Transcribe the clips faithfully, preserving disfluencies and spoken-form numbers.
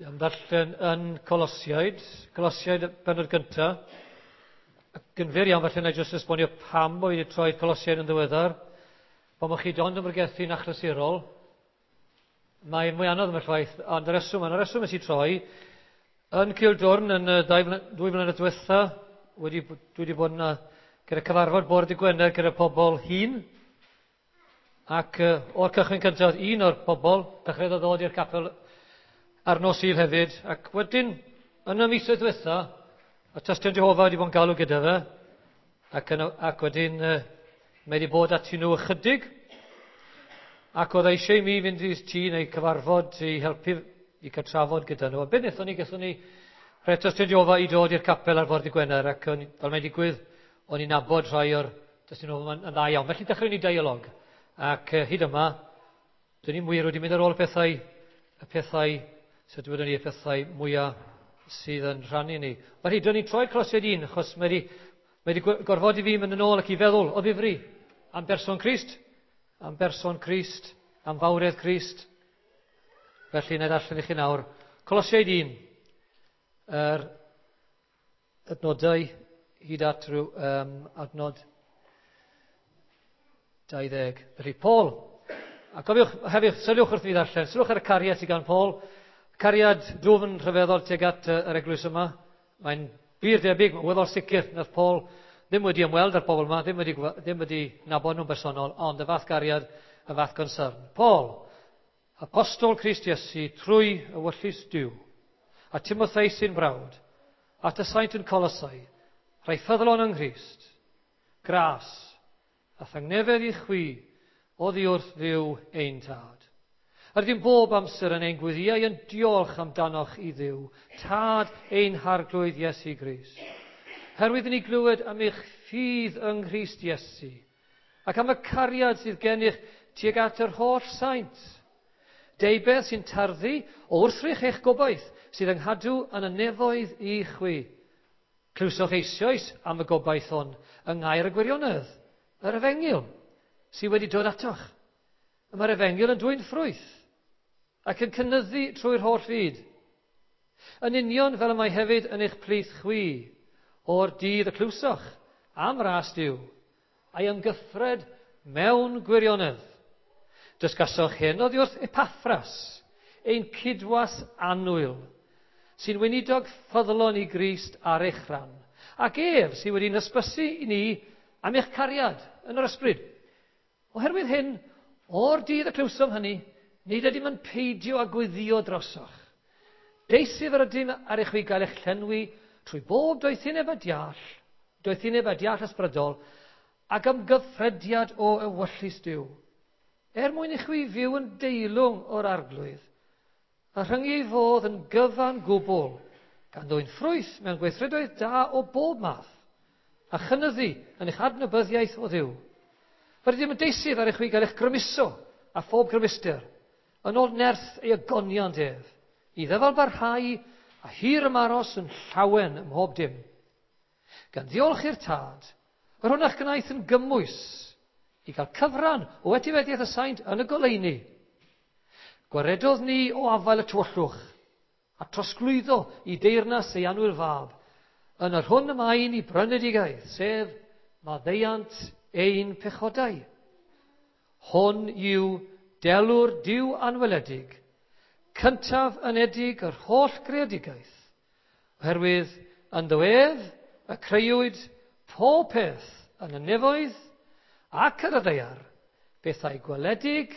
Am ddarllen yn Colosiaid, Colosiaid bennod gyntaf. Ac yn fyr iawn, falle na i jyst esbonio pam bod wedi troi Colosiaid yn ddiweddar. Pan bod chi dond yn bregethu'n achlysurol, mae'n mwy anodd am y ffaith, ond y reswm, y reswm nes i troi, yn Cildwrn yn y dau dwy flynedd diwetha, wedi, dwi wedi bod yna gyda cyfarfod bore dydd Gwener gyda pobl hŷn, ac uh, o'r cychwyn cyntaf, un o'r pobl dechreuodd ddod i'r capel ar nos Sul hefyd, ac wedyn, yn y misoedd diwetha, y Tystion Jehofa wedi bod yn galw gyda fe, ac, yn, ac wedyn uh, mae wedi bod ati nhw ychydig, ac oedd eisiau i mi fynd i'r tŷ neu cyfarfod i helpu i cael trafod gyda nhw. A beth wnaethon ni, gaethon ni rhai Tystion Jehofa i dod i'r capel ar fore dydd Gwener, ac o'n, fel mae'n digwydd, o'n i'n nabod rhai o'r Tystion Jehofa yn dda iawn. Felly dechreuon ni dialog, ac uh, hyd yma, dyn ni'n wir wedi mynd ar ôl y pethau, y pethau, sut dywedwn ni, y pethau mwyaf sydd yn rhannu ni. Felly, dyn ni'n troi Colosiaid un, achos mae wedi, mae wedi gorfodi fi mynd yn ôl ac i feddwl o ddifri am berson Crist, am berson Crist, am fawredd Crist. Felly, na i ddarllen i chi nawr. Colosiaid un, yr adnodau hyd at rhyw um, adnod dau ddeg. Felly, Paul, a cofiwch hefyd, sylwch wrth fi ddarllen, sylwch ar y cariad sydd gan Paul, cariad dwfn rhyfeddol tuag at yr eglwys yma. Mae'n wir debyg, mae'n weddol sicr, nath Paul ddim wedi ymweld â'r bobl yma, ddim wedi, ddim wedi nabod nhw'n bersonol, ond y fath gariad, y fath concern. Paul, apostol Crist Iesu, trwy ewyllys Duw, a Timotheus sy'n brawd, at y saint yn Colosau, rhai ffyddlon yng Nghrist, gras a thangnefedd i chwi oddi wrth Dduw ein tad. Yr ydym bob amser yn ein gweddïau yn diolch amdanoch i Dduw, tad ein harglwydd Iesu Grist. Herwydd i ni glywed am eich ffydd yng Nghrist Iesu, ac am y cariad sydd gennych tuag at yr holl saint. Deubeth sy'n tarddu o wrthrych eich gobaith sydd yng nghadw yn y nefoedd i chwi. Clywsoch eisoes am y gobaith hwn yng ngair y gwirionedd, yr efengyl, sydd wedi dod atoch. Y mae'r efengyl yn dwyn ffrwyth ac yn cynyddu trwy'r holl fyd. Yn union fel y mae hefyd yn eich plith chwi, o'r dydd y clywsoch am ras Duw, a'i ymgyffred mewn gwirionedd. Dysgasoch hyn oddi wrth Epaffras, ein cydwas annwyl, sy'n weinidog ffyddlon i Grist ar eich rhan, ac ef sydd wedi'n hysbysu i ni am eich cariad yn yr ysbryd. Oherwydd hyn, o'r dydd y clywsom hynny, nid ydym yn peidio â gweddïo drosoch. Deisyf yr ydym ar eich chwi gael eich llenwi trwy bob doethineb a deall, doethineb a deall ysbrydol, ac ymgyffrediad o ewyllys Duw, er mwyn i chwi fyw yn deilwng o'r arglwydd, a rhyngu ei fodd yn gyfan gwbl, gan ddwyn ffrwyth mewn gweithredoedd da o bob math, a chynyddu yn eich adnabyddiaeth o Dduw. Yr ydym yn deisyf ar eich chwi gael eich grymuso a phob grymuster, yn ôl nerth ei ogoniant ef, i ddyfal barhau a hir ymaros yn llawen ym mhob dim. Gan ddiolch i'r Tad, yr hwn a'ch gwnaeth yn gymwys i gael cyfran o etifeddiaeth y saint yn y goleuni. Gwaredodd ni o afael y tywyllwch, a trosglwyddo i deyrnas ei annwyl fab, yn yr hwn y mae ni brynedigaeth, sef maddeuant ein pechodau. Hwn yw delw'r Duw anweledig, cyntaf anedig yr holl greadigaeth, oherwydd ynddo ef y creuwyd pob peth yn y nefoedd ac ar y ddaear, bethau gweledig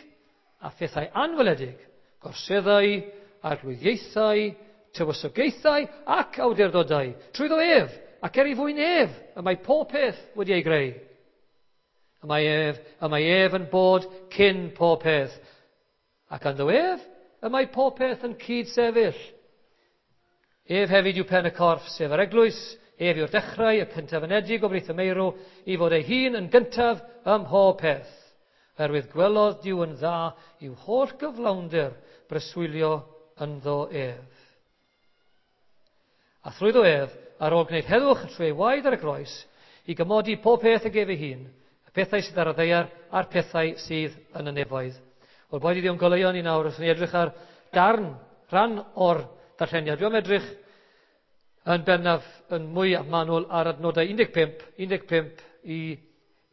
a phethau anweledig, gorseddau, arglwyddiaethau, tywysogaethau ac awdurdodau, trwyddo ef ac er ei fwyn ef y mae pob peth wedi ei greu. Y mae ef, y mae ef yn bod cyn pob peth, ac ynddo ef y mae pob peth yn cyd-sefyll. Ef hefyd yw pen y corff, sef yr eglwys, ef yw'r dechrau, y cyntaf anedig o blith y meirw, i fod ei hun yn gyntaf ym mhob peth. Oherwydd gwelodd Duw yn dda i'w holl gyflawnder breswylio ynddo ef. A thrwyddo ef, ar ôl gwneud heddwch trwy ei waed ar y groes, i gymodi pob peth ag ef ei hun, y pethau sydd ar y ddaear a'r pethau sydd yn y nefoedd. Wel, boed i Dduw'n goleuo ni nawr, wrth ni edrych ar darn, rhan o'r ddarlleniad. Dwi am edrych yn bennaf yn mwy manwl ar adnodau un deg pump, un deg pump i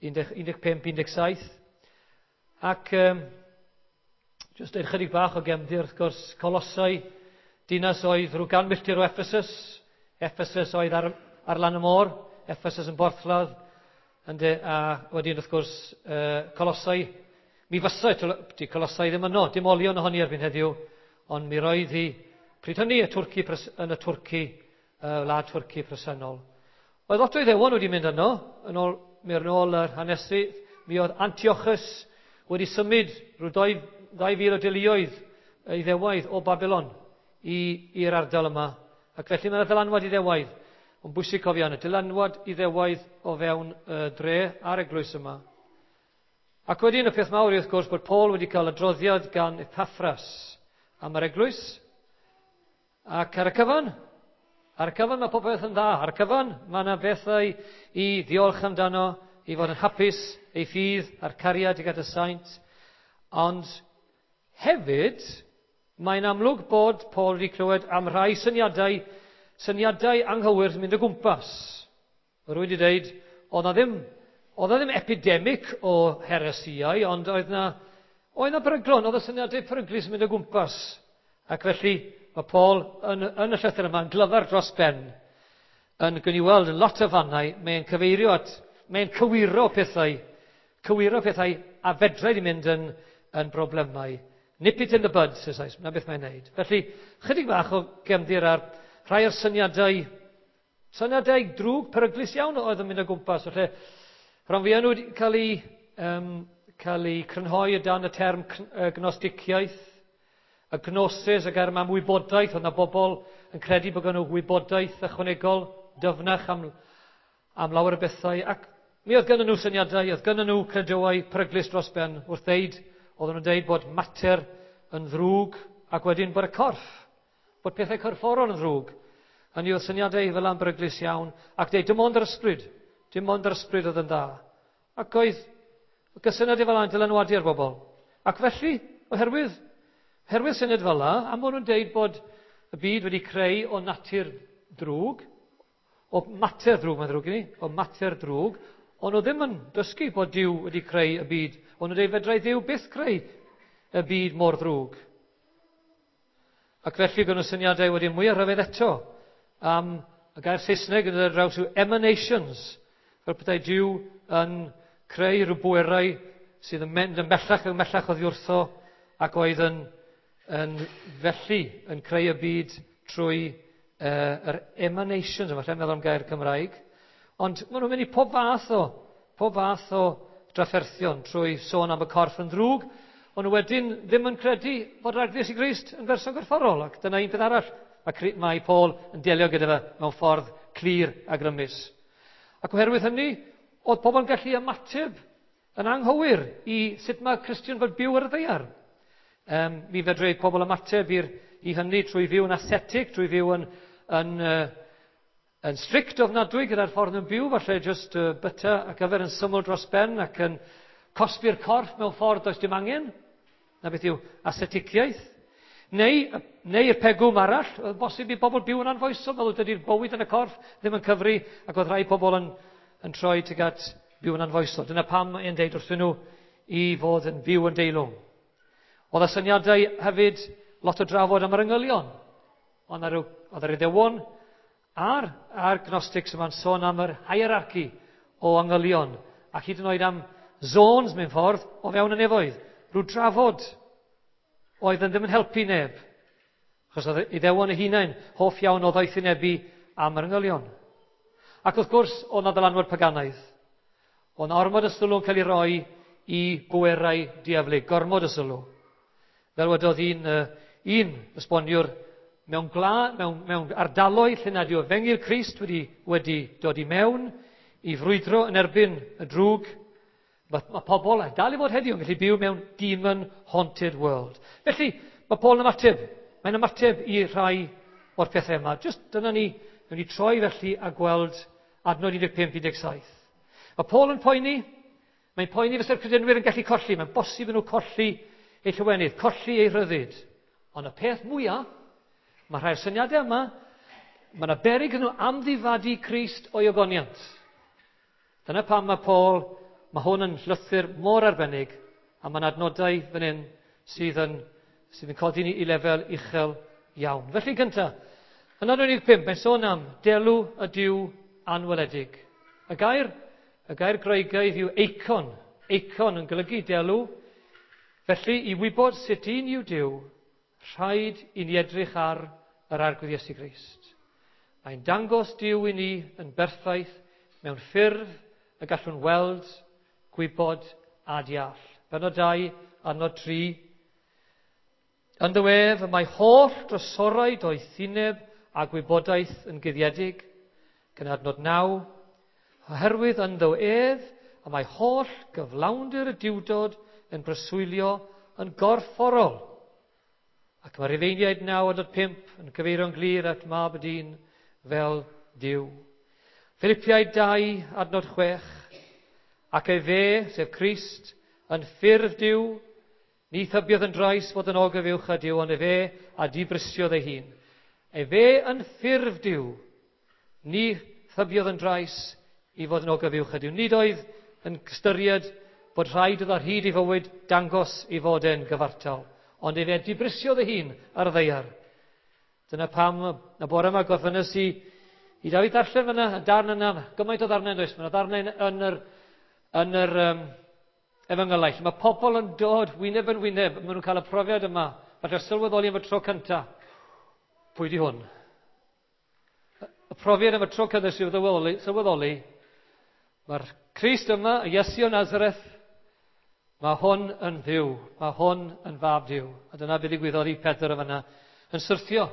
un deg pump, un deg saith. Ac um, jyst deud chydig bach o gefndir, wrth gwrs, Colosau, dinas oedd rhyw gan milltir o Ephesus. Ephesus oedd ar, ar lan y môr, Ephesus yn borthladd, ynde, a wedyn wrth gwrs uh, Colosau, mi fysa di Colosau ddim yno, dim olion ohoni erbyn heddiw, ond mi roedd hi, pryd hynny, y Twrci, yn y Twrci, y wlad Twrci presennol. Oedd lot o Iddewon wedi mynd yno, yn ôl, mi yn ôl yr hanesydd, mi oedd Antiochus wedi symud rhyw dau, dau fil o deuluoedd Iddewaidd o Babylon i'r ardal yma. Ac felly mae yna ddylanwad Iddewaidd. Ond bwysig cofio hynny, dylanwad Iddewaidd o fewn y dre a'r eglwys yma. Ac wedyn y peth mawr yw wrth gwrs bod Paul wedi cael adroddiad gan Epaphras am yr eglwys. Ac ar y cyfan, ar y cyfan mae popeth yn dda. Ar y cyfan mae yna bethau i ddiolch amdano, i fod yn hapus, ei ffydd a'r cariad i gyda saint. Ond hefyd, mae'n amlwg bod Paul wedi clywed am rhai syniadau, syniadau anghywir sy'n mynd o gwmpas. Rwy'n wedi dweud, oedd na ddim, oedd na ddim epidemic o heresiau, ond oedd na, oedd na beryglon, oedd y syniadau peryglus yn mynd o gwmpas. Ac felly, mae Paul yn, yn y llythyr yma yn glyfar dros ben, yn gwni weld yn lot o fannau, mae'n cyfeirio at, mae'n cywiro pethau, cywiro pethau a fedrai di mynd yn, yn broblemau. Nip it in the bud, says, na beth mae'n neud. Felly, chydig bach o gefndir ar rhai o'r syniadau, syniadau drwg, peryglus iawn oedd yn mynd o gwmpas. Felly, rhan fwyaf nhw wedi cael eu, um, cael eu crynhoi o dan y term gnosticiaeth, y gnosis, y gair yma am wybodaeth, oedd yna bobl yn credu bod gen nhw wybodaeth ychwanegol, dyfnach am, am lawer o bethau. Ac mi oedd gennyn nhw syniadau, oedd gennyn nhw credoau peryglus dros ben wrth ddeud, oedden nhw'n deud bod mater yn ddrwg ac wedyn bod y corff, bod pethau corfforol yn ddrwg. Hynny oedd syniadau fel am beryglus iawn, ac deud dim ond yr ysbryd, dim ond yr ysbryd oedd yn dda. Ac oedd gysyniadau fel yna'n dylanwadu ar bobl. Ac felly, oherwydd, oherwydd syniad fel yna, am bod nhw'n deud bod y byd wedi creu o natur drwg, o mater drwg, mae'n ddrwg i ni, o mater drwg, ond nhw ddim yn dysgu bod Duw wedi creu y byd. Ond nhw'n dweud fedrai Dduw byth creu y byd mor ddrwg. Ac felly gwnawn nhw syniadau wedi mwy o rhyfedd eto am y gair Saesneg yn dod ar draws yw emanations. Fel petai Duw yn creu rhyw bwerau sydd yn mynd yn bellach yn bellach oddi wrtho ac oedd yn, yn felly yn creu y byd trwy uh, yr emanations, yma, lle meddwl am gair Cymraeg. Ond maen nhw'n mynd i pob fath o, pob fath o drafferthion trwy sôn am y corff yn ddrwg, ond nhw wedyn ddim yn credu bod Ragddi Iesu Grist yn berson gorfforol, ac dyna un peth arall mae, mae Paul yn delio gyda fe mewn ffordd clir a grymus. Ac oherwydd hynny, oedd pobl yn gallu ymateb yn anghywir i sut mae Cristion fod byw ar y ddaear. Um, mi fedrai pobl ymateb i'r, i hynny trwy fyw yn ascetic, trwy fyw yn, yn, uh, yn strict ofnadwy gyda'r ffordd nhw'n byw, falle just uh, byta ac yfed yn syml dros ben ac yn cosbi'r corff mewn ffordd does dim angen. Na beth yw asceticiaeth. Neu, neu'r pegwm arall, oedd bosib i bobl byw yn anfoesol, meddwl dydy'r bywyd yn y corff ddim yn cyfri, ac oedd rhai pobl yn, yn troi tuag at byw yn anfoesol. Dyna pam mae'n deud wrthyn nhw i fod yn byw yn deilwng. Oedd y syniadau hefyd lot o drafod am yr angylion. Ond oedd yr Iddewon a'r, a'r Gnostics yma'n sôn am yr hierarchy o angylion, ac hyd yn oed am zones mewn ffordd o fewn y nefoedd. Rhyw drafod oedd yn ddim yn helpu neb. Achos oedd Iddewon eu hunain hoff iawn o ddoethinebu am yr angylion. Ac wrth gwrs, oedd 'na ddylanwad paganaidd. Oedd 'na ormod o sylw yn cael ei roi i bwerau diaflig, gormod o sylw. Fel wedodd un, uh, un esboniwr, mewn, gla, mewn, mewn ardaloedd lle nad yw Efengyl Crist wedi, wedi dod i mewn i frwydro yn erbyn y drwg, mae, mae pobl, a dal i fod heddiw, yn gallu byw mewn demon-haunted world. Felly, mae Paul yn ymateb. Mae'n ymateb i rhai o'r pethau yma. Just dyna ni, newn ni troi felly a gweld adnod un deg pump un deg saith. Mae Paul yn poeni, mae'n poeni fysa'r credinwyr yn gallu colli, mae'n bosib nhw colli eu llawenydd, colli eu rhyddid. Ond y peth mwyaf, Mae rhai'r syniadau yma, mae yna beryg nhw amddifadu Crist o'i ogoniant. Dyna pam mae Paul, mae hwn yn llythyr mor arbennig, a mae'n adnodau fan hyn sydd yn, sydd yn codi ni i lefel uchel iawn. Felly gyntaf, yn adnod un deg pump, mae'n sôn am delw y Duw anweledig. Y gair, y gair Groegaidd yw eikon. Eikon yn golygu delw. Felly, i wybod sut un yw Duw, rhaid i ni edrych ar yr Arglwydd Iesu Grist. Mae'n dangos Duw i ni yn berffaith mewn ffurf y gallwn weld, gwybod a deall. Pennod dau, adnod tri. Ynddo ef y mae holl drysorau doethineb a gwybodaeth yn guddiedig. Gan adnod naw, oherwydd ynddo ef y mae holl gyflawnder y Duwdod yn preswylio yn gorfforol. Ac mae Rufeiniaid naw adnod pump yn cyfeirio'n glir at Mab y Dyn fel Duw. Philippiaid dau adnod chwech, ac efe, sef Crist, yn ffurf Duw, ni thybiodd yn drais fod yn ogyfuwch â Duw, ond efe a dibrisiodd ei hun. Efe yn ffurf Duw, ni thybiodd yn drais i fod yn ogyfuwch â Duw. Nid oedd yn ystyried bod rhaid iddo ar hyd ei fywyd dangos i fod e'n gyfartal, ond efe dibrisiodd ei hun ar y ddaear. Dyna pam y bore yma gorffennes i i Dafydd ddarllen fyna, y darn yna, gymaint o ddarnau yn does, mae yna ddarnau yn yr, yn yr um, efengylau. Mae pobl yn dod wyneb yn wyneb, maen nhw'n cael y profiad yma, falle sylweddoli am y tro cyntaf. Pwy di hwn? Y profiad am y tro cyntaf sydd sylweddoli, sylweddoli, mae'r Crist yma, y Iesu o Nazareth, mae hwn yn Dduw, mae hwn yn fab Duw. A dyna beth ddigwyddodd i Pedr yma, yn syrthio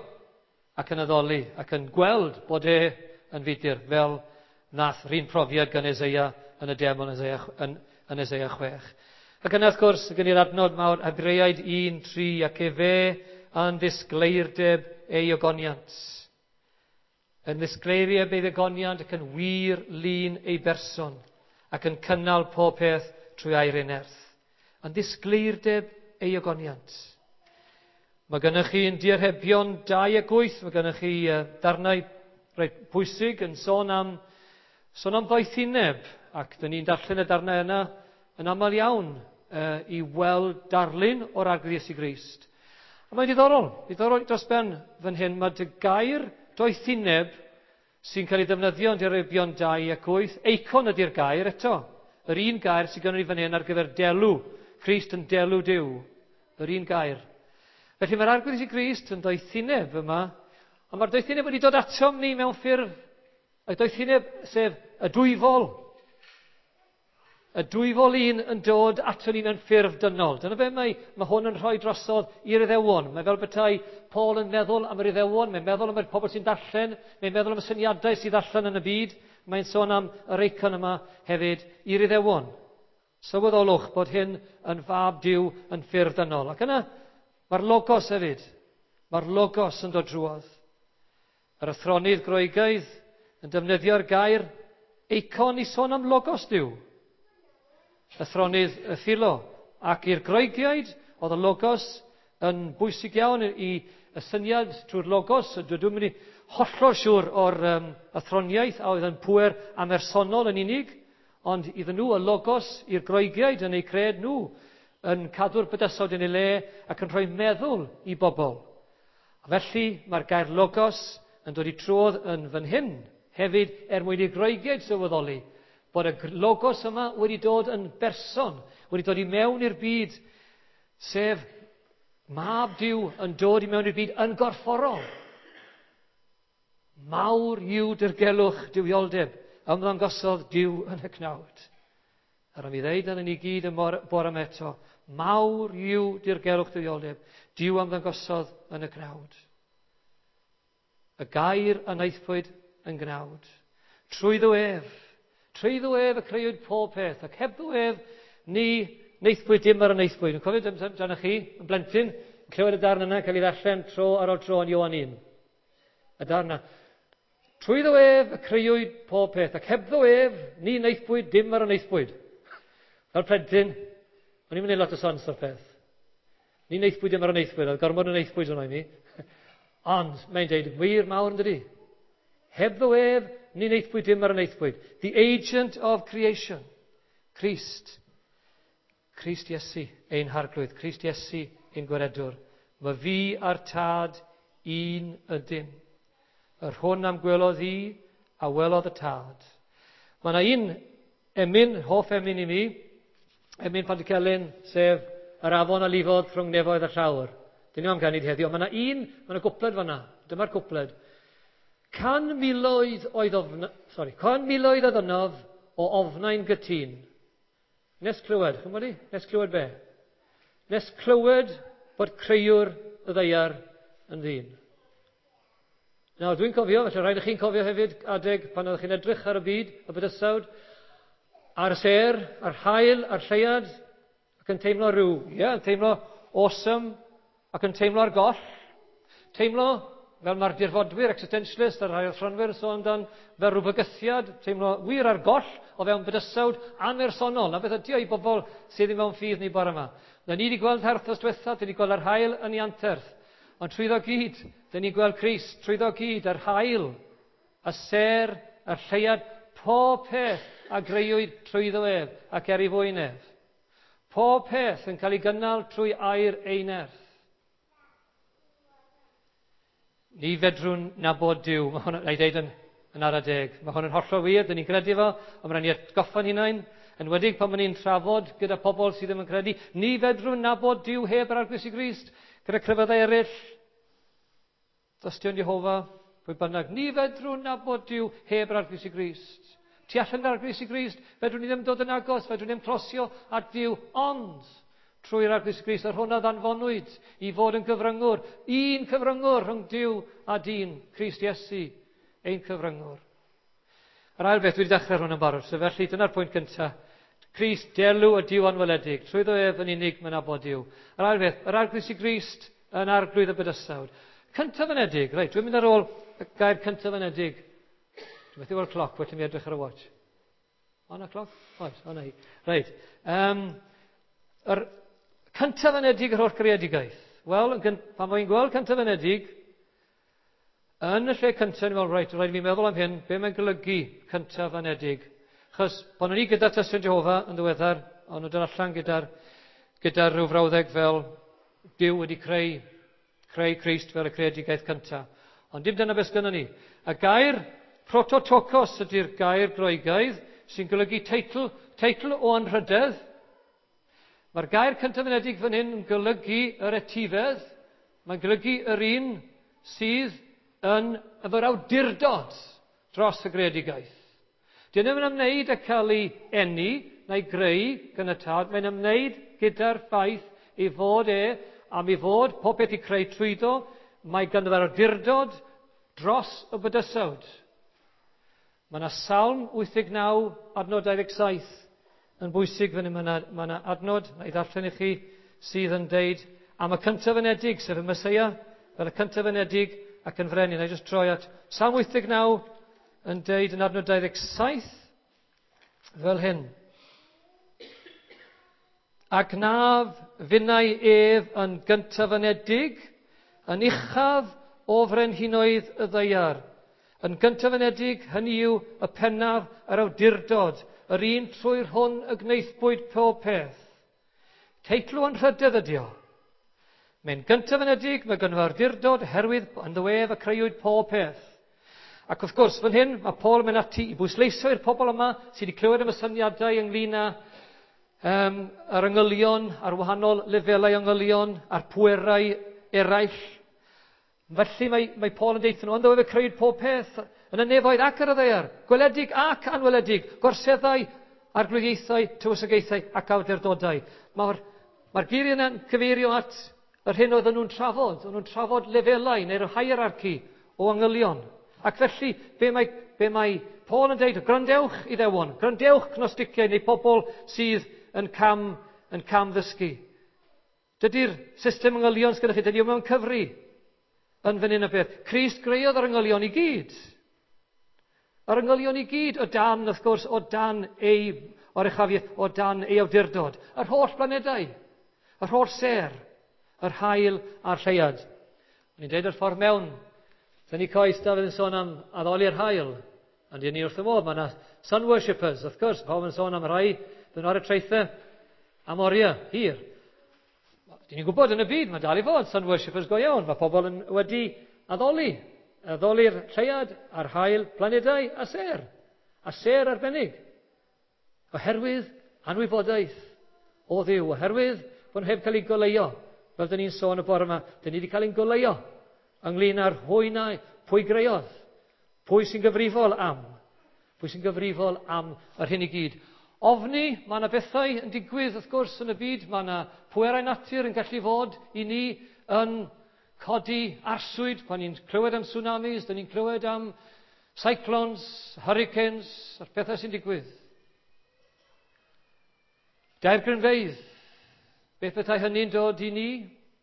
ac yn addoli ac yn gweld bod e yn fudur, fel nath rhywun profiad gan Eseia yn y deml yn Eseia, yn, yn Eseia chwech. Ac yna, wrth gwrs, gen i'r adnod mawr, Hebreaid un tri, ac efe yn ddisgleirdeb ei ogoniant. Yn ddisgleirdeb ei ogoniant ac yn wir lun ei berson, ac yn cynnal pob peth trwy air ei nerth. Yn ddisgleirdeb ei ogoniant. Mae gennych chi yn Diarhebion dau ac wyth, mae gennych chi darnau reit pwysig yn sôn am, sôn am ddoethineb, ac dyn ni'n darllen y darnau yna yn aml iawn uh, i weld darlun o'r Arglwydd Iesu Grist. A mae'n diddorol, diddorol dros ben fan hyn, mae dy gair doethineb sy'n cael ei ddefnyddio yn Diarhebion dau ac wyth, eikon ydy'r gair eto, yr un gair sydd gennym ni fan hyn ar gyfer delw, Crist yn delw Duw, yr un gair. Felly mae'r Arglwydd Iesu Grist yn doethineb yma, ond mae'r doethineb wedi dod atom ni mewn ffurf, y doethineb sef y dwyfol. Y dwyfol un yn dod ato ni mewn ffurf dynol. Dyna be mae, mae hwn yn rhoi drosodd i'r Iddewon. Mae fel petai Paul yn meddwl am yr Iddewon, mae'n meddwl am y pobl sy'n darllen, mae'n meddwl am y syniadau sydd allan yn y byd. Mae'n sôn am yr eicon yma hefyd i'r Iddewon. Sylweddolwch bod hyn yn fab Duw yn ffurf dynol. Ac yna, mae'r logos hefyd. Mae'r logos yn dod drwodd. Yr athronydd Groegaidd yn defnyddio'r gair eikon i sôn am logos Duw. Athronydd y Philo. Ac i'r Groegiaid, oedd y logos yn bwysig iawn i y syniad trwy'r logos. Dwi'n mynd i hollol siŵr o'r um, athroniaeth a oedd yn pŵer amersonol yn unig, ond iddyn nhw y logos i'r Groegiaid yn eu cred nhw, yn cadw'r bydysawd yn ei le ac yn rhoi meddwl i bobl. A felly mae'r gair logos yn dod i trwodd yn fan hyn hefyd er mwyn i'r Groegiaid sylweddoli bod y logos yma wedi dod yn berson, wedi dod i mewn i'r byd, sef Mab Duw yn dod i mewn i'r byd yn gorfforol. Mawr yw dirgelwch duwioldeb, ymddangosodd Duw yn y cnawd. A rhaid mi ddeud yn ni gyd y bore yma eto, mawr yw dirgelwch duwioldeb, Duw ymddangosodd yn y cnawd. Y gair a wnaethpwyd yn gnawd. Trwyddo ef, trwyddo ef y creuwyd pob peth, ac hebddo ef ni wnaethpwyd dim ar y wnaethpwyd. Yn cofio amdano chi, yn blentyn, yn clywed y darn yna, cael ei ddarllen tro ar ôl tro yn Ioan un. Y darn yna. Trwyddo ef y creuwyd pob peth, ac hebddo ef ni wnaethpwyd dim ar y wnaethpwyd. Fel plentyn, o'n i'n mynd lot o sens o'r peth. Ni wnaethpwyd dim ar y wnaethpwyd, oedd gormod o wnaethpwyd yno i mi. Ond mae'n deud wir mawr yn dydi? Hebddo ef, ni wnaethpwyd dim ar y wnaethpwyd. The agent of creation. Crist. Crist Iesu, ein harglwydd. Crist Iesu, ein gwaredwr. Mae fi a'r tad un ydym. Yr hwn am gwelodd i, a welodd y tad. Mae yna un emyn, hoff emyn i mi, emyn Pantycelyn, sef yr afon a lifodd rhwng nefoedd a llawr. Dyn ni am ganu heddiw, mae yna un, mae yna gwpled fanna. Dyma'r cwpled. Can miloedd oedd ofna, sorry, can miloedd oedd ynof o ofnau'n gytun. Nes clywed, chi'n gwybod i? Nes clywed be? Nes clywed bod creuwr y ddaear yn ddyn. Nawr, dwi'n cofio, felly rhaid i chi'n cofio hefyd adeg pan oeddech chi'n edrych ar y byd, y bydysawd, ar y sêr, a'r haul, a'r lleuad, ac yn teimlo rhyw, ie, yeah, yn teimlo awesome, ac yn teimlo ar goll. Teimlo, fel mae'r dirfodwyr, existentialist, a'r rhai athronwyr yn sôn amdan, fel rhyw fygythiad, teimlo wir ar goll o fewn bydysawd amersonol. Na beth ydy o i bobl sydd ddim mewn ffydd ni bore yma. Na ni wedi gweld herthos diwetha, dyn ni gweld yr haul yn ei anterth. Ond trwyddo gyd, dyn ni'n gweld Crist, trwyddo gyd, yr haul, y sêr, y lleuad, pob peth a greuwyd trwyddo ef ac er ei fwyn ef. Pob peth yn cael ei gynnal trwy air ei nerth. Ni fedrwn nabod Duw, mae hwn, na i ddeud yn, yn ara deg, mae hwn yn hollol wir, dyn ni'n credu fo, ond mae'n rhaid ni atgoffa'n hunain, enwedig pan ma'n ni'n trafod gyda pobl sydd ddim yn credu, ni fedrwn nabod Duw heb yr Arglwydd Iesu Grist, gyda crefyddau eraill, Dystion Jehofa, pwy bynnag, ni fedrwn nabod Duw heb yr Arglwydd Iesu Grist. Tu allan yr Arglwydd Iesu Grist, fedrwn ni ddim dod yn agos, fedrwn ni ddim closio at Duw, ond trwy'r Arglwydd Iesu Grist, yr hwn a ddanfonwyd i fod yn gyfryngwr, un cyfryngwr rhwng Duw a dyn, Crist Iesu, ein cyfryngwr. Yr ail beth, dwi wedi dechrau hwn yn barod, so felly dyna'r pwynt cyntaf. Crist, delw y Duw anweledig, trwyddo ef yn unig mae'n nabod Duw. Yr ail beth, yr Arglwydd Iesu Grist yn arglwydd y bydysawd. Cyntaf ynedig, reit, dwi'n mynd ar ôl y gair cyntaf ynedig. Dwi'n methu weld cloc, well i mi edrych ar y watch. O, na cloc? Oes, o na hi. Reit, um, yr cyntaf ynedig yr holl greadigaeth. Wel, pan mae'n gweld cyntaf ynedig, yn y lle cyntaf, ni'n meddwl, reit, rhaid i mi meddwl am hyn, be mae'n golygu cyntaf ynedig? Chos, pan o'n i gyda Tystion Jehofa yn ddiweddar, o'n nhw'n dod allan gyda'r gyda rhyw frawddeg fel Duw wedi creu, creu Crist fel y creadigaeth cyntaf. Ond dim dyna beth sgynnon ni. Y gair prototokos ydy'r gair Groegaidd sy'n golygu teitl, teitl o anrhydedd. Mae'r gair cyntaf ynedig fan hyn yn golygu yr etifedd. Mae'n golygu yr un sydd yn efo'r awdurdod dros y greadigaeth. Dyn nhw'n ymwneud â cael ei eni na'i greu gan y tad. Mae'n ymwneud gyda'r ffaith ei fod e, am ei fod pob peth i creu trwyddo, mae ganddo fe'r awdurdod dros y bydysawd. Mae yna Salm wyth deg naw, adnod dau ddeg saith yn bwysig fan hyn. Mae yna, mae yna adnod, na i ddarllen i chi, sydd yn deud am y cyntaf ynedig, sef y Meseia, fel y cyntaf ynedig ac yn frenin. Na i jyst troi at Salm wyth deg naw yn deud yn adnod dau ddeg saith fel hyn. Ac naf finnau ef yn gyntaf ynedig, yn uchaf o frenhinoedd y ddaear. Yn gyntaf ynedig, hynny yw y pennaf yr awdurdod, yr un trwy'r hwn y gwnaethpwyd pob peth. Teitl o'n rhydedd ydi o. Mae'n gyntaf ynedig, mae gynno awdurdod, herwydd ynddo ef y creuwyd pob peth. Ac wrth gwrs, fan hyn, mae Paul yn mynd ati i bwysleisio i'r pobl yma sydd wedi clywed am y syniadau ynglyn â um, yr angylion, ar wahanol lefelau angylion, a'r pwerau eraill. Felly mae, mae Paul yn deud nhw, ynddo ef y creuwyd pob peth, yn y nefoedd ac ar y ddaear, gweledig ac anweledig, gorseddau, arglwyddiaethau, tywysogaethau ac awdurdodau. Mae'r, mae'r geiriau yna'n cyfeirio at yr hyn oedden nhw'n trafod. Oedden nhw'n trafod lefelau neu'r hierarchy o angylion. Ac felly, be mae, be mae Paul yn deud, gwrandewch Iddewon, gwrandewch Gnosticiaid neu pobl sydd yn cam, yn cam ddysgu. Dydy'r system angylion sgynnoch chi, dydy o mewn cyfri yn fan hyn o beth. Crist greuodd yr angylion i gyd. Yr angylion i gyd o dan, wrth gwrs, o dan ei oruchafiaeth, o dan ei awdurdod. Yr holl blanedau, yr holl sêr, yr haul a'r lleuad. O'n i'n deud yr ffordd mewn Tynnu coes, Dafydd yn sôn am addoli'r haul. Ond dyn ni wrth y modd, mae yna sun worshippers, wrth gwrs, pawb yn sôn am rhai, dyn nhw ar y traethau am oriau, hir. Dyn ni'n gwybod yn y byd, mae dal i fod sun worshippers go iawn. Mae pobl yn wedi addoli, addoli'r lleuad a'r haul, planedau a sêr. A sêr arbennig. Oherwydd anwybodaeth o Dduw, oherwydd bod nhw heb cael eu goleuo. Fel dyn ni'n sôn y bore yma, dyn ni wedi cael ein goleuo ynglyn â'r hwy na, pwy greodd, pwy sy'n gyfrifol am, pwy sy'n gyfrifol am yr hyn i gyd. Ofni, mae yna bethau yn digwydd wrth gwrs yn y byd, mae yna pwerau natur yn gallu fod i ni yn codi arswyd pan ni'n clywed am tsunamis, dyn ni'n clywed am cyclones, hurricanes, a'r pethau sy'n digwydd. Daeargrynfeydd, beth bethau hynny'n dod i ni?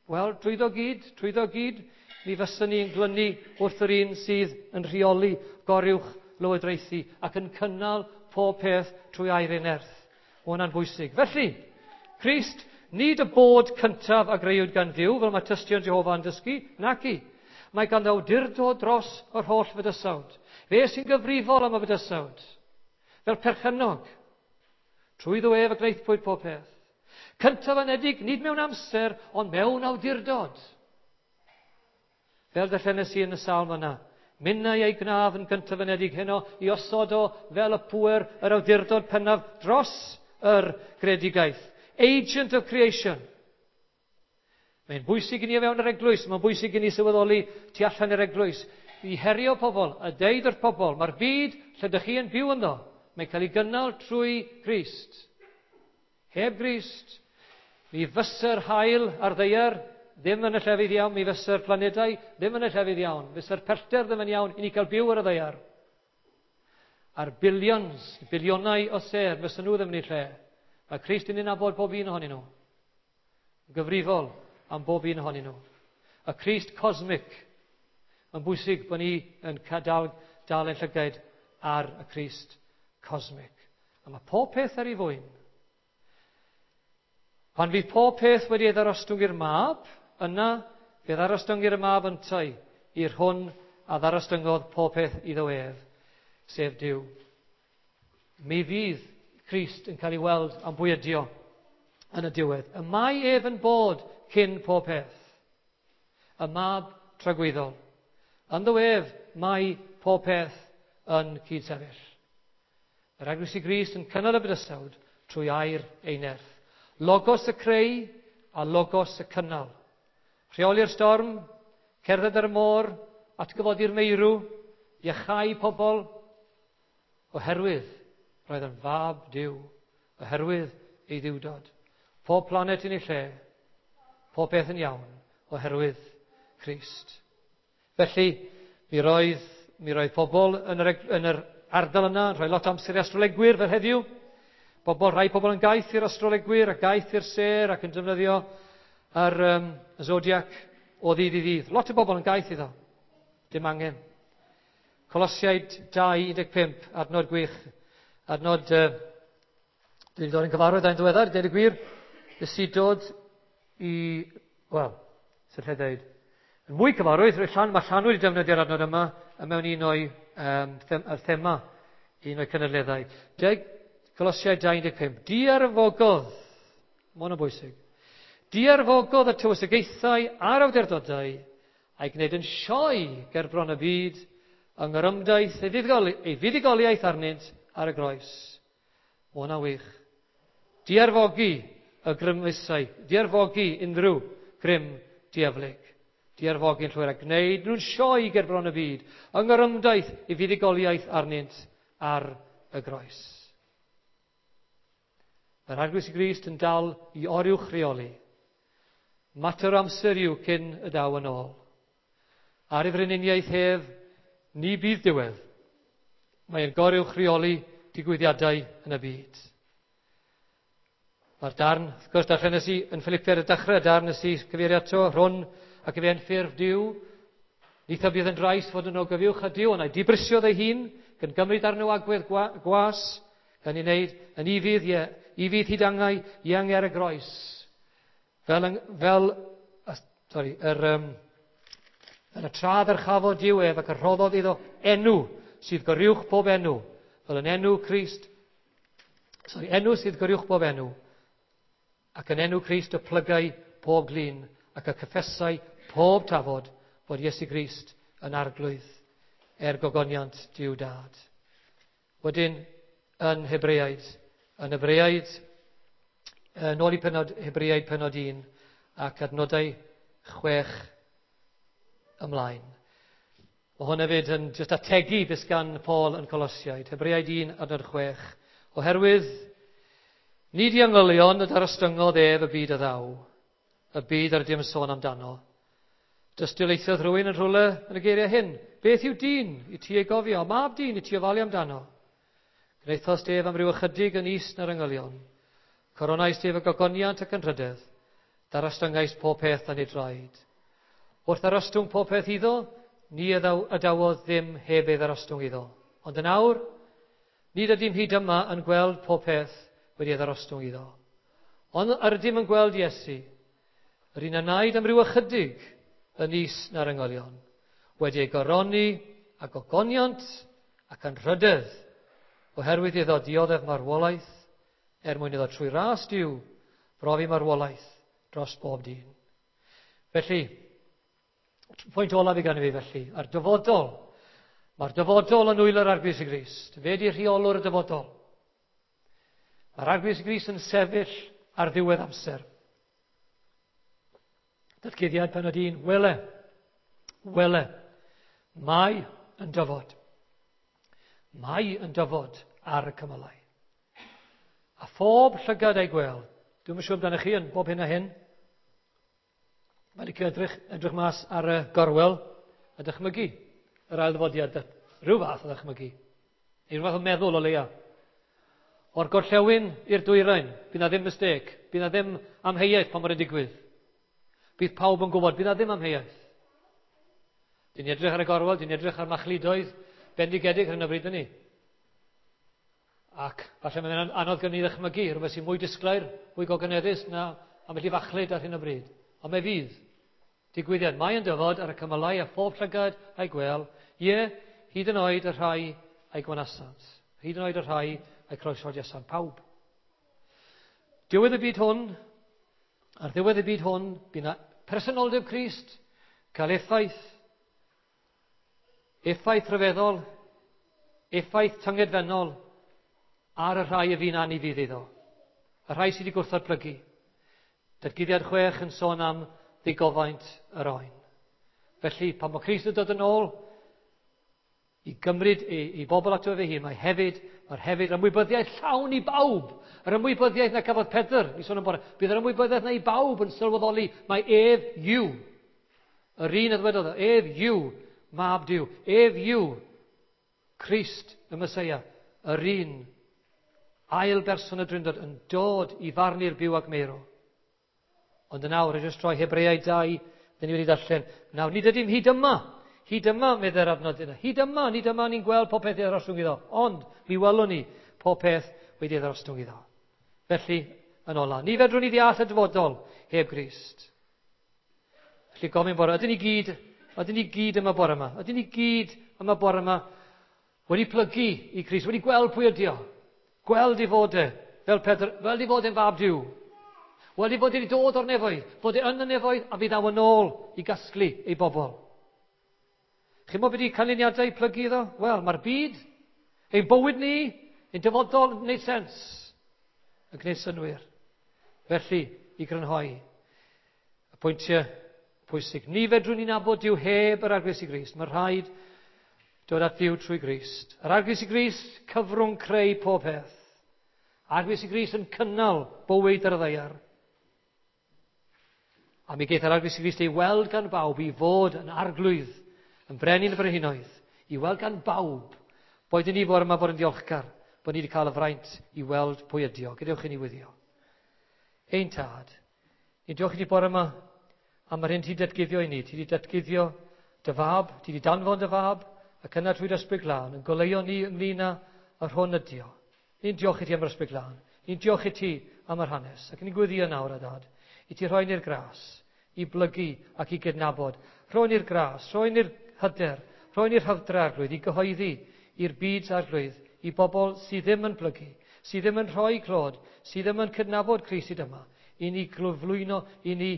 Wel, trwyddo gyd, trwyddo gyd, mi fyswn ni yn glynu wrth yr un sydd yn rheoli goruwch lywodraethu ac yn cynnal pob peth trwy air ei nerth. Mae hwnna'n bwysig. Felly, Crist, nid y bod cyntaf a greuwyd gan Dduw, fel mae tystion Jehofa yn dysgu, naci. Mae ganddo awdurdod dros yr holl fydysawd. Fe sy'n gyfrifol am y fydysawd. Fel perchennog. Trwyddo ef y gwnaethpwyd pob peth. Cyntaf anedig, nid mewn amser, ond mewn awdurdod. Fel darllenes i yn y salm yna. Minnau ei gnaf yn gyntaf anedig heno i osod o fel y pŵer yr awdurdod pennaf dros yr greadigaeth. Agent of creation. Mae'n bwysig i ni o fewn yr eglwys, mae'n bwysig i ni sylweddoli tu allan i'r eglwys, i herio pobl, a deud wrth pobl, mae'r byd lle ydych chi yn byw ynddo, mae'n cael ei gynnal trwy Grist. Heb Grist, mi fysa'r haul ar ddaear ddim yn y llefydd iawn, mi fysa'r planedau ddim yn y llefydd iawn, fysa'r pellter ddim yn iawn i ni cael byw ar y ddaear. A'r billions, bilionau o sêr, fysa nhw ddim yn eu lle. Mae Crist yn nabod bob un ohonyn nhw. Gyfrifol am bob un ohonyn nhw. Y Crist cosmic. Mae'n bwysig bod ni yn dal, dal ein llygaid ar y Crist cosmic. A mae pob peth ar ei fwyn. Pan fydd pob peth wedi ei ddarostwng i'r mab, yna fe ddarostwng i'r mab yntau i'r hwn a ddarostyngodd pob peth iddo ef, sef Duw. Mi fydd Crist yn cael ei weld am bwy ydi o yn y diwedd. Y mae ef yn bod cyn pob peth. Y mab tragwyddol. Ynddo ef mae pob peth yn cydsefyll. Yr Eglwys i Grist yn cynnal y bydysawd trwy air ei nerth. Logos y creu a logos y cynnal. Rheoli'r storm, cerdded ar y môr, atgyfodi'r meirw, iachau pobl, oherwydd roedd yn fab Duw, oherwydd ei ddiwdod. Pob planet yn ei lle, pob peth yn iawn, oherwydd Crist. Felly, mi roedd, mi roedd pobl yn yr, yn yr ardal yna, yn rhoi lot o amser i astrolegwyr fel heddiw. Pobl, rhai pobl yn gaeth i'r astrolegwyr a gaeth i'r sêr ac yn defnyddio yr um, zodiac o ddydd i ddydd. Lot o bobl yn gaeth iddo. Dim angen. Colosiaid dau un deg pump, adnod gwych. Adnod, uh, dwi wedi dod yn cyfarwydd â'n ddiweddar, dweud y gwir, nes i dod i, wel, sy'n lle dweud, yn mwy cyfarwydd, llan, mae Llanw wedi defnyddio'r adnod yma mewn un o'i um, them, yr thema, un o'i cynadleddau. Deg, Colosiaid dau un deg pump. Diarfogodd, mae hwn yn bwysig, diarfogodd y tywysogaethau a'r awdurdodau a'i gwneud yn sioe ger bron y byd yng ngorymdaith ei fuddugoli-, ei fuddugoliaeth arnynt ar y groes. Mae hwnna'n wych. Diarfogi y grymusau, diarfogi unrhyw grym dieflig. Diarfogi'n llwyr a gwneud nhw'n sioe ger bron y byd yng ngorymdaith ei fuddugoliaeth arnynt ar y groes. Mae'r Arglwydd Iesu Grist yn dal i oruwch reoli. Mater o amser yw cyn y daw yn ôl. Ar ei frenhiniaeth hef, ni bydd diwedd. Mae'n goruwch reoli digwyddiadau yn y byd. Mae'r darn, wrth gwrs, darllenes i yn Philippiaid y dechrau, darn nes i cyfeirio ato, rhwn ac efe yn ffurf Duw. Nid bydd yn drais fod yn ogyfuwch a Duw, ond ei dibrisiodd ei hun, gan gymryd arno agwedd gwa-, gwas, gan ei wneud yn ufudd, ie, ufudd hyd angau, iang ar y groes. Fel, yng-, fel, as-, sorry, yr, um, Fel y tra ddyrchafodd Duw ef ac y rhoddodd iddo enw sydd goruwch pob enw, fel yn enw Crist, sorry, enw sydd goruwch pob enw, ac yn enw Crist y plygai pob glin ac y cyffesai pob tafod fod Iesu Grist yn arglwydd er gogoniant Duw Dad. Wedyn, yn Hebreaid, yn Hebreaid, yn ôl i penod, Hebreaid penod un ac adnodau chwech ymlaen. Mae hwn hefyd yn just ategu beth gan Paul yn Colosiaid. Hebreaid un adnod chwech. Oherwydd, nid i angylion y darostyngodd ef y byd a ddaw, y byd ar dim sôn amdano. Dystiolaethodd rhywun yn rhywle yn y geiriau hyn. Beth yw dyn i ti ei gofio? Mab dyn i ti ofalu amdano? Gwnaethost ef am ryw ychydig yn is na'r angylion. Coronais ef y gogoniant ac yn rhydedd. Darostyngaist pob peth dan ei draed. Wrth ddarostwng pob peth iddo, ni adawodd ddim heb ei ddarostwng iddo. Ond yn awr, nid ydym hyd yma yn gweld pob peth wedi ei ddarostwng iddo. Ond yr ydym yn gweld Iesu, yr un a wnaed am ryw ychydig yn is na'r angylion, wedi ei goroni a gogoniant ac anrhydedd, oherwydd iddo dioddef marwolaeth, er mwyn iddo trwy ras Duw brofi marwolaeth dros bob dyn. Felly, pwynt olaf i gan fi felly, a'r dyfodol. Mae'r dyfodol yn nwylo'r Arglwydd Iesu Grist. Fe di rheolwr y dyfodol. Mae'r Arglwydd Iesu Grist yn sefyll ar ddiwedd amser. Datguddiad penod un, wele, wele, mae yn dyfod. Mae yn dyfod ar y cymylau. A phob llygad ei gweld. Dwi'm yn siŵr amdanoch chi yn bob hyn a hyn. Mae'n licio edrych, edrych mas ar y gorwel a dychmygu yr ail ddyfodiad. Rhyw fath o ddychmygu. Neu rhyw fath o meddwl o leia. O'r gorllewin i'r dwyrain, bydd na ddim mistake, bydd na ddim amheuaeth pan mae'n digwydd. Bydd pawb yn gwybod, bydd na ddim amheuaeth. Dyn ni edrych ar y gorwel, dyn ni edrych ar machludoedd bendigedig ar hyn o bryd ni. Ac falle mae'n anodd gen i ddychmygu, rhywbeth sy'n mwy disglair, mwy gogoneddus na ambell i fachlud ar hyn o bryd. Ond mae fydd. Digwyddiad, mae yn dyfod ar y cymylau a phob llygad a'i gwel, ie, hyd yn oed y rhai a'i gwanasant. Hyd yn oed y rhai a'i croeshoeliasant, pawb. Diwedd y byd hwn, ar ddiwedd y byd hwn, bydd na personoldeb Crist cael effaith, effaith rhyfeddol, effaith tyngedfennol ar y rhai y fu'n anufudd iddo, y rhai sydd wedi gwrthod plygu. Datguddiad chwech yn sôn am ddigofaint yr oen. Felly, pan mae Crist yn dod yn ôl i gymryd ei, ei bobl ato fe hun, mae hefyd, mae'r hefyd yr ymwybyddiaeth llawn i bawb. Yr ymwybyddiaeth na cafodd Pedr, ni sôn am bore, bydd yr ymwybyddiaeth na i bawb yn sylweddoli, mae ef yw. Yr un a ddwedodd, ef yw, mab Duw, ef yw, Crist y Meseia, yr un ail berson y Drindod yn dod i farnu'r byw ac meirw. Ond yn awr, jyst troi Hebreaid dau, dyn ni wedi darllen. Nawr, nid ydym hyd yma. Hyd yma, meddai'r adnod yna. Hyd yma, nid yma ni'n gweld pob peth i ddarostwng iddo. Ond, mi welwn ni pob peth wedi ei ddarostwng iddo. Felly, yn ola, ni fedrwn ni ddeall y dyfodol heb Grist. Felly, gofyn bore, ydyn ni gyd, ydyn ni gyd yma bore yma, ydyn ni gyd yma bore yma wedi plygu i Grist, wedi gweld pwy ydi o, gweld i fod e, fel Pedr, fel i fod e'n fab Duw. Wel, i fod wedi dod o'r nefoedd, fod e yn y nefoedd a fydd aw yn ôl i gasglu ei bobl. Chi'n gwybod beth ydi canlyniadau plygu iddo? Wel, mae'r byd, ein bywyd ni, ein dyfodol yn gwneud sens, yn gwneud synnwyr. Felly, i grynhoi, y pwyntiau pwysig. Ni fedrwn ni nabod Duw heb yr Arglwydd Iesu Grist. Mae rhaid dod at Dduw trwy Grist. Yr Arglwydd Iesu Grist, cyfrwng creu pob peth. Arglwydd Iesu Grist yn cynnal bywyd ar y ddaear. A mi geith yr Arglwydd Iesu Grist ei weld gan bawb i fod yn arglwydd, yn brenin y brenhinoedd, i weld gan bawb. Boed i ni fod yma fod yn ddiolchgar, bod ni wedi cael y fraint i weld pwy ydi o. Gadewch i ni wyddio. Ein tad, ni'n diolch i ti bore yma am yr hyn ti datguddio i ni. Ti wedi datguddio dy fab, ti wedi danfon dy fab, ac yna trwy dy Ysbryd Glân, yn goleuo ni ynglyn â yr hwn ydi o. Ni'n diolch i ti am yr Ysbryd Glân. Ni'n diolch i ti am yr hanes. Ac ni'n gweddio nawr, a dad, i ti rhoi ni'r gras, i blygu ac i gydnabod Rhoi ni'r gras, rhoi ni'r hyder, rhoi ni'r hyfdra, Arglwydd, i gyhoeddi i'r byd, Arglwydd, i bobl sydd ddim yn plygu, sydd ddim yn rhoi clod, sydd ddim yn cydnabod Crist hyd yma, i ni gyflwyno, i ni,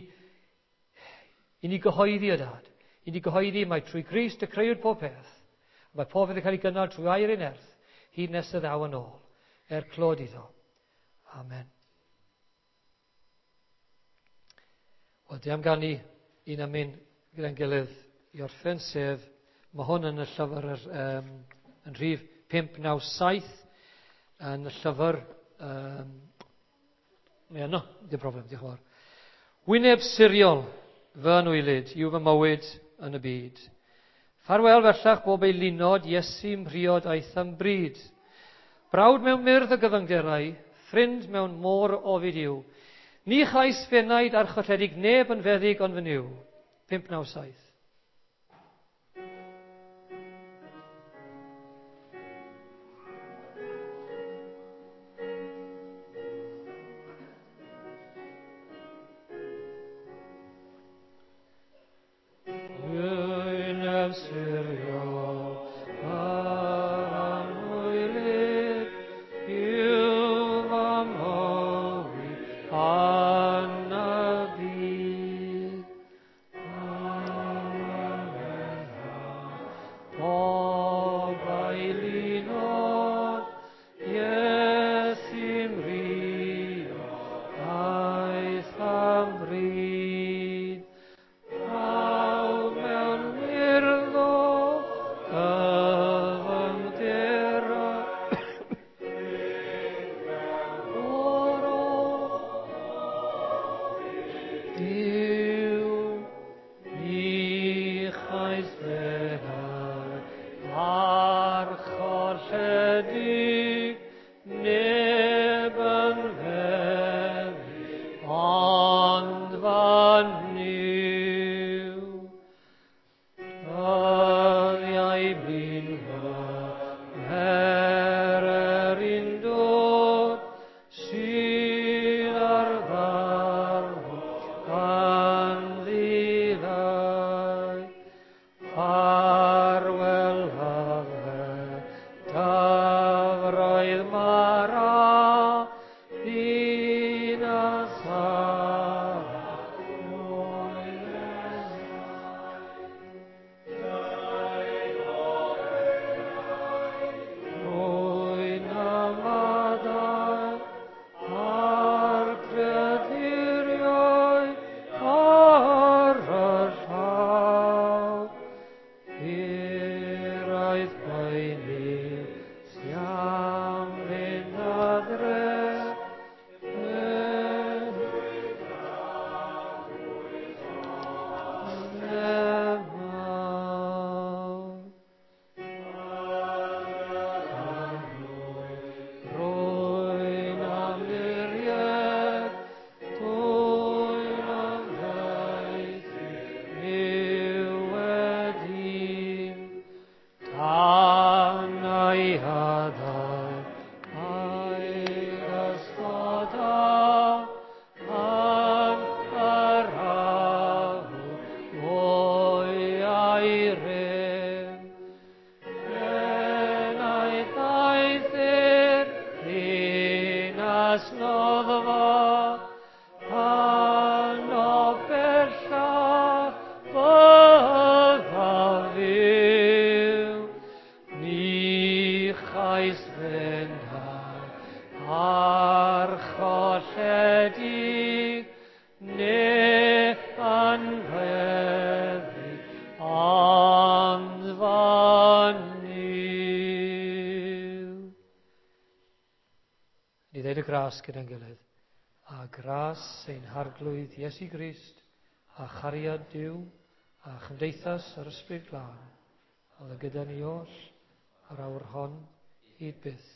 i ni gyhoeddi o Dad. I ni gyhoeddi mai trwy Grist y crëwyd pob peth. Mae pob peth yn cael ei gynnal trwy air ei nerth, hyd nes y ddaw yn ôl, er clod iddo. Amen. Wel, di am ganu un emyn gyda'n gilydd i orffen, sef, mae hwn yn y llyfr yr, um, yn rhif pump naw saith, yn y llyfr, um, mae yno, dim problem, diolch yn fawr. Wyneb siriol fy anwylyd yw fy mywyd yn y byd. Ffarwel bellach bob eilunod, Iesu mhriod aeth am bryd. Brawd mewn myrdd o gyfyngderau, ffrind mewn môr o ofid yw. Ni chais fenaid archolledig neb yn feddyg ond fy Nuw. pump naw saith. Wyneb siriol yr anwylyd yw fy mywyd yn y byd. Pob eilunod, Iesu mhriod aeth am bryd. Brawd mewn myrdd o gyfyngderau, o'r Duw, ni chais fenaid archolledig, neb yn feddyg ond fy Nuw. Dyddiau blin fy mher undod sydd ar ddarfod yn ddilai. Ffarwel hyfryd dyfroedd Mara, ddinas ar Rwy'n ymadael â'r creaduriau ar y llaw. Hiraeth poenus am fynd adre. Rwy'n amliriad, dwy'n amddaeth, niwed un. Tan ei hadau, a'i gysgoda, yn yr afon mwy a'i rym. Enaid aeth i'r ddinas noddfa, pan o bellach byddaf fyw. Ni chais fenai archolledig, neb yn feddyg ond fy Nuw. Ni ddeud y gras gyda'n gilydd. A gras ein Harglwydd Iesu Grist, a chariad Duw, a chymdeithas yr Ysbryd Glân, oedd gyda ni oll yr awr hon hyd byth.